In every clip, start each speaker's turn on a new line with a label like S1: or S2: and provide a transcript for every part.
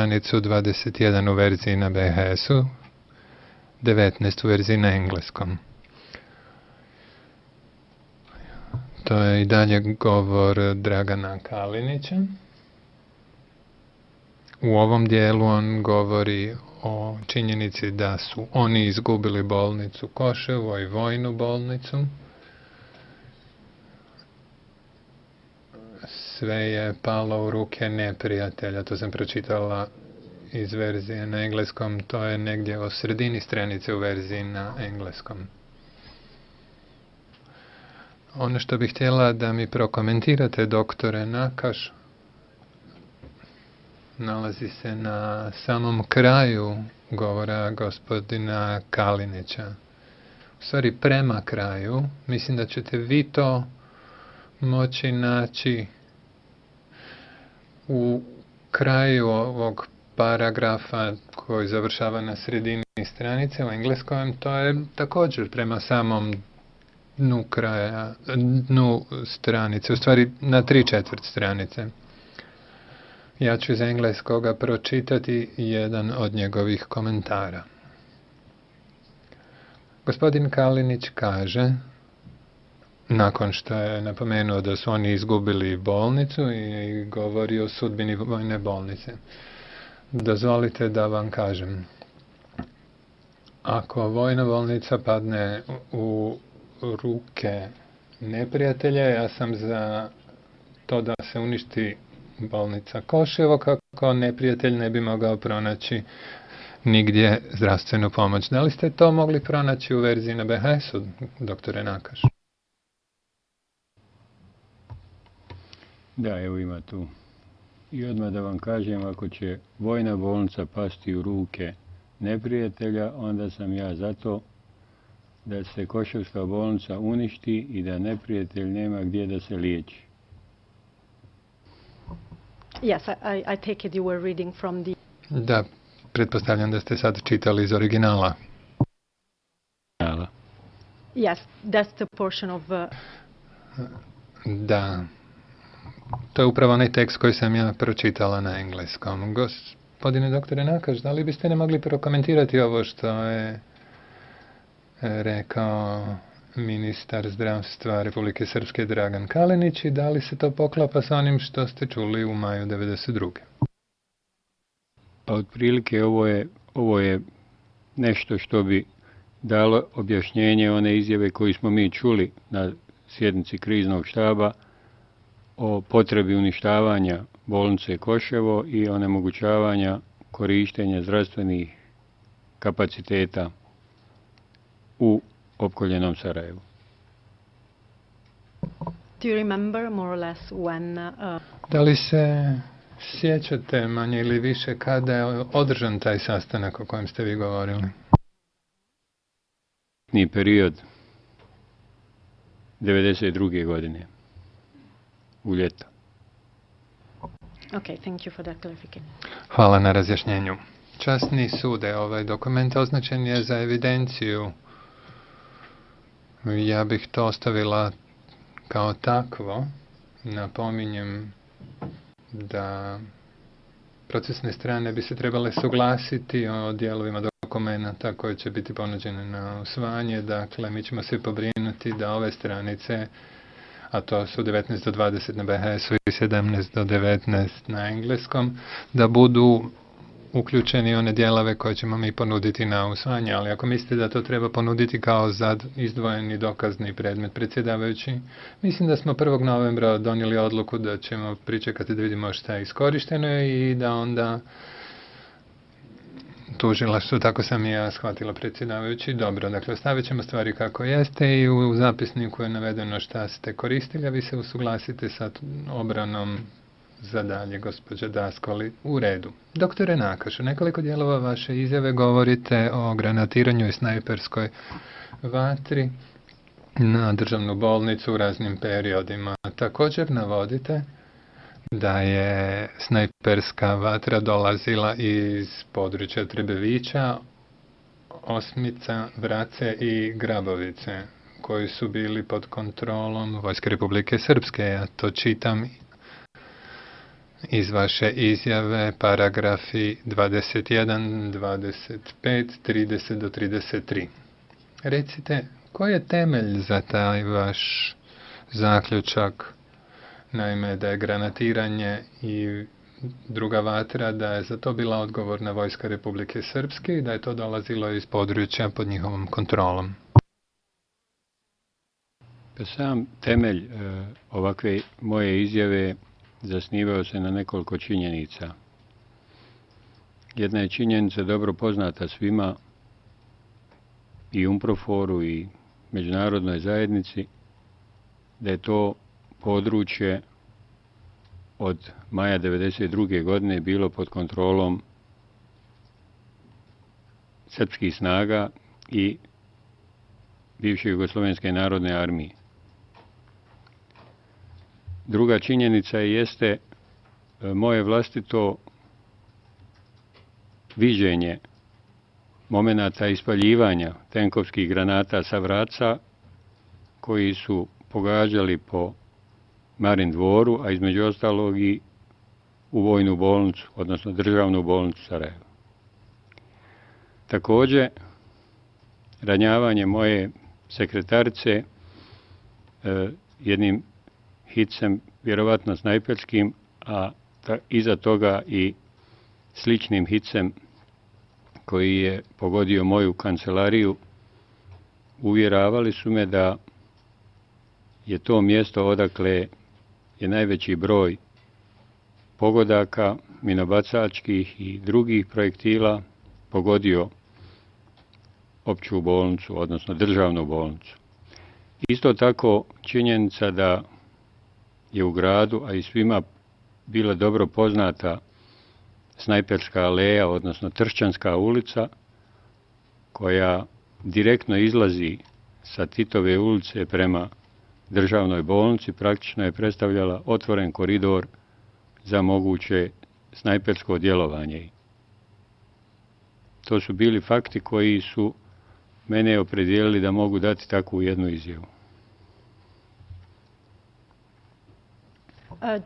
S1: stranicu 21 u verziji na BHS-u, 19 u verziji na engleskom. To je i dalje govor Dragana Kalinića. U ovom dijelu on govori o činjenici da su oni izgubili bolnicu Koševo i vojnu bolnicu. Sve je palo u ruke neprijatelja, to sam pročitala iz verzije na engleskom, to je negdje o sredini stranice u verziji na engleskom. Ono što bih htjela da mi prokomentirate, doktore Nakaš, nalazi se na samom kraju govora gospodina Kalinića. U stvari prema kraju, mislim da ćete vi to moći naći u kraju ovog paragrafa koji završava na sredini stranice u engleskom, to je također prema samom dnu stranice, u stvari na 3/4 stranice. Ja ću iz engleskoga pročitati jedan od njegovih komentara. Gospodin Kalinić kaže, nakon što je napomenuo da su oni izgubili bolnicu i govori o sudbini vojne bolnice. Dozvolite da vam kažem, ako vojna bolnica padne u ruke neprijatelja, ja sam za to da se uništi bolnica Koševo, kako neprijatelj ne bi mogao pronaći nigdje zdravstvenu pomoć. Da li ste to mogli pronaći u verziji na BHS-u, doktore Nakaš?
S2: Da, evo ima tu. I odmah da vam kažem, ako će vojna bolnica pasti u ruke neprijatelja, onda sam ja za to da se Koševska bolnica uništi i da neprijatelj nema gdje da se liječi.
S3: Yes, I take it you were reading from the...
S1: Da, pretpostavljam da ste sad čitali iz originala.
S3: Yes, that's the portion of...
S1: Da, to je upravo onaj tekst koji sam ja pročitala na engleskom. Gospodine doktore Nakaš, da li biste ne mogli prokomentirati ovo što je rekao ministar zdravstva Republike Srpske Dragan Kalinić i da li se to poklapa sa onim što ste čuli u maju 1992.
S2: Pa otprilike ovo je nešto što bi dalo objašnjenje one izjave koje smo mi čuli na sjednici kriznog štaba o potrebi uništavanja bolnice Koševo i onemogućavanja korištenja zdravstvenih kapaciteta u opkoljenom Sarajevu.
S3: Do you remember more or less when...
S1: Da li se sjećate manje ili više kada je održan taj sastanak o kojem ste vi govorili?
S2: Ni period 1992. godine u ljeto.
S3: Okay, thank you for that clarification.
S1: Hvala na razjašnjenju. Časni sude, ovaj dokument označen je za evidenciju. Ja bih to ostavila kao takvo. Napominjem da procesne strane bi se trebale suglasiti o dijelovima dokumenta koje će biti ponuđene na usvajanje. Dakle, mi ćemo se pobrinuti da ove stranice, a to su 19 do 20 na BHS-u i 17 do 19 na engleskom, da budu uključeni one dijelove koje ćemo mi ponuditi na usvajanje, ali ako mislite da to treba ponuditi kao izdvojeni dokazni predmet, predsjedavajući, mislim da smo 1. novembra donijeli odluku da ćemo pričekati da vidimo šta je iskorišteno i da onda tužilaštvo, tako sam i ja shvatila, predsjedavajući. Dobro, dakle, ostavit ćemo stvari kako jeste i u zapisniku je navedeno šta ste koristili, a vi se usuglasite sa obranom za dalje, gospođa Daskoli, u redu. Doktore Nakaš, u nekoliko dijelova vaše izjave govorite o granatiranju i snajperskoj vatri na državnu bolnicu u raznim periodima. Također navodite da je snajperska vatra dolazila iz područja Trebevića, Osmica, Vrace i Grabovice, koji su bili pod kontrolom Vojske Republike Srpske. Ja to čitam iz vaše izjave, paragrafi 21, 25, 30 do 33. Recite, koji je temelj za taj vaš zaključak, naime da je granatiranje i druga vatra, da je za to bila odgovorna vojska Republike Srpske i da je to dolazilo iz područja pod njihovom kontrolom?
S2: Sam temelj ovakve moje izjave zasnivao se na nekoliko činjenica. Jedna je činjenica dobro poznata svima, i UNPROFOR-u i međunarodnoj zajednici, da je to područje od maja 1992. godine bilo pod kontrolom srpskih snaga i bivše Jugoslovenske narodne armije. Druga činjenica jeste moje vlastito viđenje momenata ispaljivanja tenkovskih granata sa Vraca, koji su pogađali po Marin dvoru, a između ostalog i u vojnu bolnicu, odnosno državnu bolnicu Sarajevo. Također, ranjavanje moje sekretarice jednim hicem, vjerovatno snajperskim, a iza toga i sličnim hicem koji je pogodio moju kancelariju, uvjeravali su me da je to mjesto odakle je najveći broj pogodaka, minobacačkih i drugih projektila pogodio opću bolnicu, odnosno državnu bolnicu. Isto tako činjenica da je u gradu, a i svima bila dobro poznata Snajperska aleja, odnosno Tršćanska ulica, koja direktno izlazi sa Titove ulice prema državnoj bolnici, praktično je predstavljala otvoren koridor za moguće snajpersko djelovanje. To su bili fakti koji su mene opredijelili da mogu dati takvu jednu izjavu.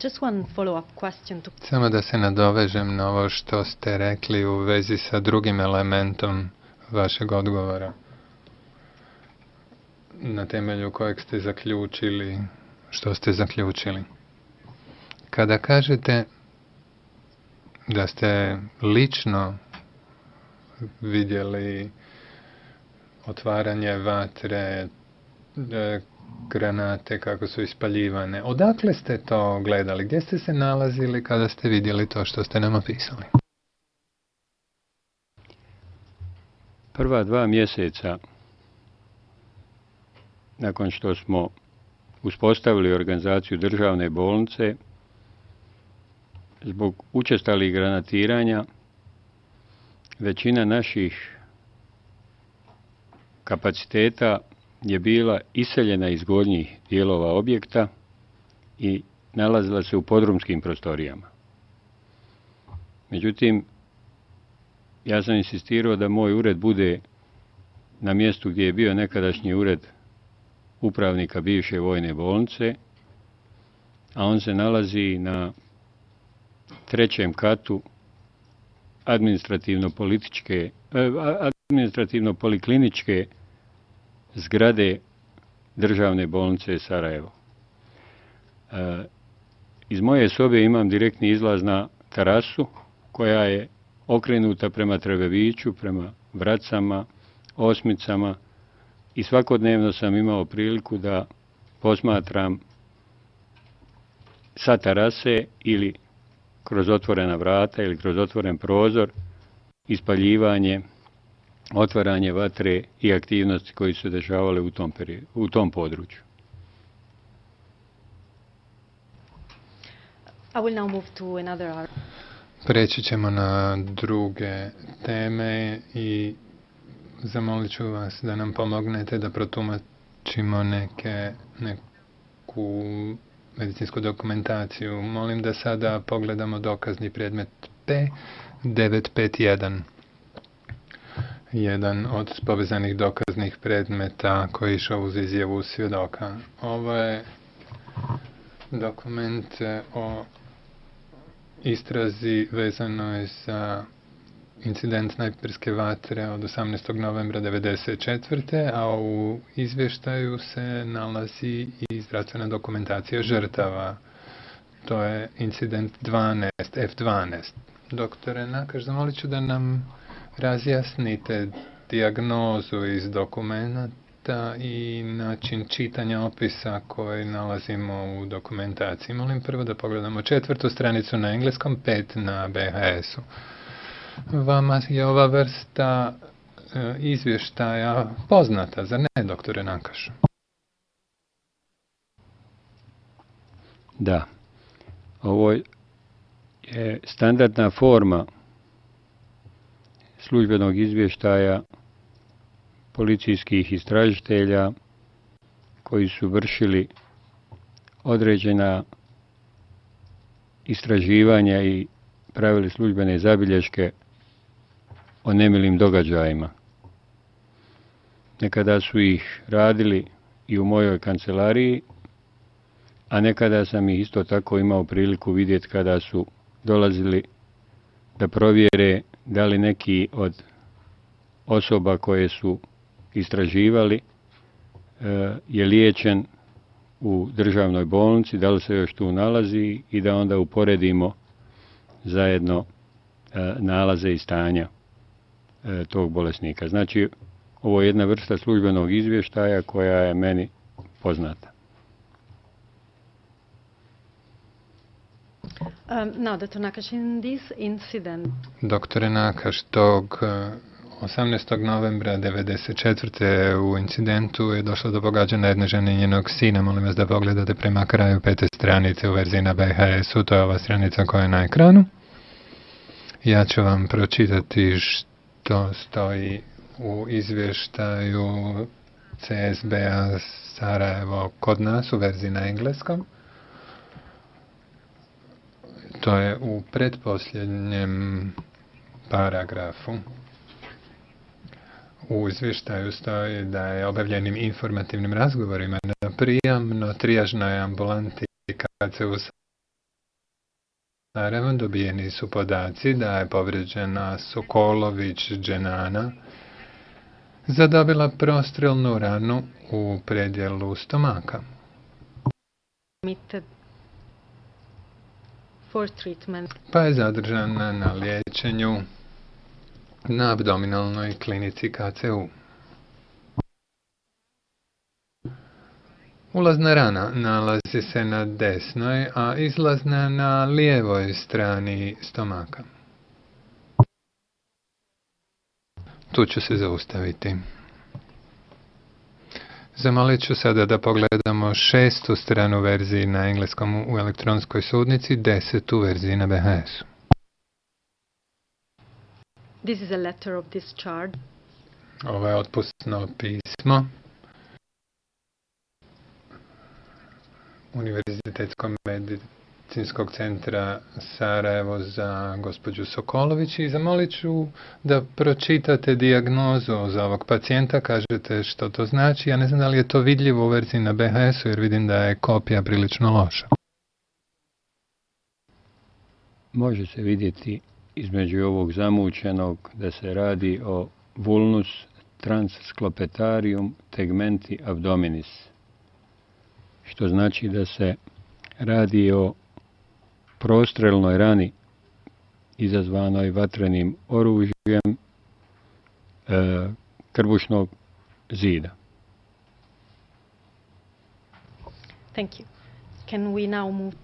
S3: Just one follow-up question.
S1: Samo da se nadovežem na ovo što ste rekli u vezi sa drugim elementom vašeg odgovora, na temelju kojeg ste zaključili, što ste zaključili. Kada kažete da ste lično vidjeli otvaranje vatre, granate kako su ispaljivane, odakle ste to gledali? Gdje ste se nalazili kada ste vidjeli to što ste nam opisali?
S2: Prva 2 mjeseca nakon što smo uspostavili organizaciju državne bolnice, zbog učestalih granatiranja, većina naših kapaciteta je bila iseljena iz gornjih dijelova objekta i nalazila se u podrumskim prostorijama. Međutim, ja sam insistirao da moj ured bude na mjestu gdje je bio nekadašnji ured upravnika bivše vojne bolnice, a on se nalazi na 3. katu administrativno-polikliničke zgrade državne bolnice Sarajevo. Iz moje sobe imam direktni izlaz na terasu koja je okrenuta prema Trebeviću, prema Vracama, Osmicama, i svakodnevno sam imao priliku da posmatram sa terase ili kroz otvorena vrata ili kroz otvoren prozor ispaljivanje, otvaranje vatre i aktivnosti koji su se dešavale u tom području.
S3: I will now move to another.
S1: Preći ćemo na druge teme i zamolit ću vas da nam pomognete da protumačimo neku medicinsku dokumentaciju. Molim da sada pogledamo dokazni predmet P951. Jedan od povezanih dokaznih predmeta koji je išao uz izjavu svjedoka. Ovo je dokument o istrazi vezanoj za incident snajperske vatre od 18. novembra 1994. A u izvještaju se nalazi i zdravstvena dokumentacija žrtava. To je incident 12, F12. Doktore Nakaš, zamolit ću da nam razjasnite dijagnozu iz dokumenta i način čitanja opisa koji nalazimo u dokumentaciji. Molim prvo da pogledamo 4. stranicu na engleskom, 5 na BHS-u. Vama je ova vrsta izvještaja poznata, zar ne, doktore Nakaš?
S2: Da. Ovo je standardna forma službenog izvještaja policijskih istražitelja koji su vršili određena istraživanja i pravili službene zabilješke o nemilim događajima. Nekada su ih radili i u mojoj kancelariji, a nekada sam ih isto tako imao priliku vidjeti kada su dolazili da provjere da li neki od osoba koje su istraživali je liječen u državnoj bolnici, da li se još tu nalazi i da onda uporedimo zajedno nalaze i stanja tog bolesnika. Znači, ovo je jedna vrsta službenog izvještaja koja je meni poznata.
S3: Now, Dr. Nakaš, in this incident...
S1: Doktore Nakaš, tog 18. novembra 1994. u incidentu je došlo do pogađanja jedne žene i njenog sina. Molim vas da pogledate prema kraju 5. stranice u verziji na BHS-u. To je ova stranica koja je na ekranu. Ja ću vam pročitati što stoji u izvještaju CSB-a Sarajevo kod nas u verziji na engleskom. To je u pretposljednjem paragrafu. U izvještaju stoji da je obavljenim informativnim razgovorima na prijamno-trijažnoj ambulanti KCU Sarajevo dobijeni su podaci da je povrijeđena Sokolović Dženana zadobila prostrelnu ranu u predjelu stomaka. Pa je zadržana na liječenju na abdominalnoj klinici KCU. Ulazna rana nalazi se na desnoj, a izlazna na lijevoj strani stomaka. Tu ću se zaustaviti. Zamolit ću sada da pogledamo 6. stranu verziji na engleskom u elektronskoj sudnici, 10. verziji na BHS-u.
S3: This is a letter of discharge.
S1: Ovo je otpusno pismo Univerzitetskog medicinskog centra Sarajevo za gospođu Sokolović i zamolit ću da pročitate dijagnozu za ovog pacijenta, kažete što to znači. Ja ne znam da li je to vidljivo u verziji na BHS-u jer vidim da je kopija prilično loša.
S2: Može se vidjeti između ovog zamućenog da se radi o vulnus transsclepitarium tegmenti abdominis, što znači da se radi o prostrelnoj rani izazvanoj vatrenim oružjem krbušnog zida.
S3: Thank you. Can we now move?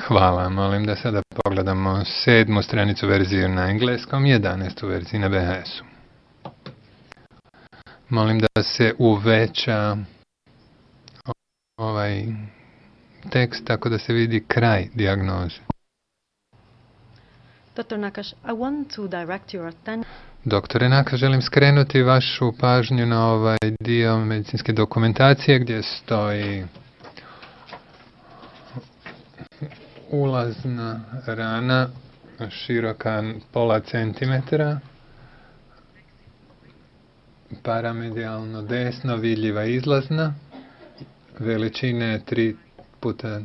S1: Hvala, molim da sada pogledamo 7. stranicu verziju na engleskom, 11. verziju na BHS-u. Molim da se uveća ovaj tekst tako da se vidi kraj dijagnoze.
S3: Dr. Nakaš, I want to direct your attention.
S1: Doktore Nakaš, želim skrenuti vašu pažnju na ovaj dio medicinske dokumentacije gdje stoji ulazna rana široka pola centimetra, paramedijalno desno vidljiva izlazna, veličine 3 puta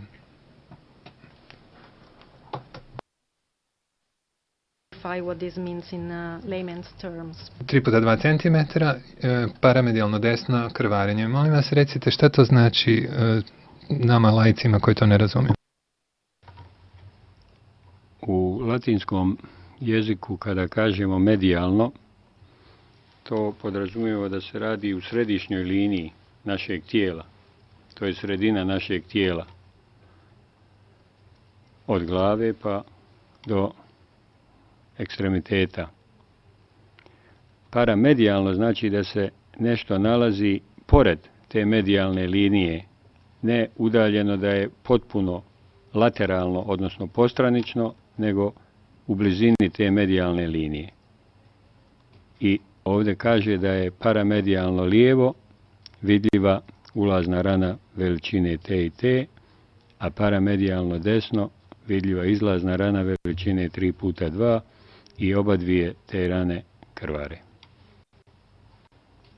S3: clarify what this means in layman's terms.
S1: 3 puta 2 cm, paramedijalno desno krvarenje. Molim vas, recite šta to znači nama laicima koji to ne razumiju.
S2: U latinskom jeziku kada kažemo medijalno, to podrazumijeva da se radi u središnjoj liniji našeg tijela. To je sredina našeg tijela. Od glave pa do ekstremiteta. Paramedijalno znači da se nešto nalazi pored te medijalne linije, ne udaljeno da je potpuno lateralno, odnosno postranično, nego u blizini te medijalne linije. I ovdje kaže da je paramedijalno lijevo vidljiva ulazna rana veličine T i T, a paramedijalno desno vidljiva izlazna rana veličine 3 puta 2 i oba dvije te rane krvare.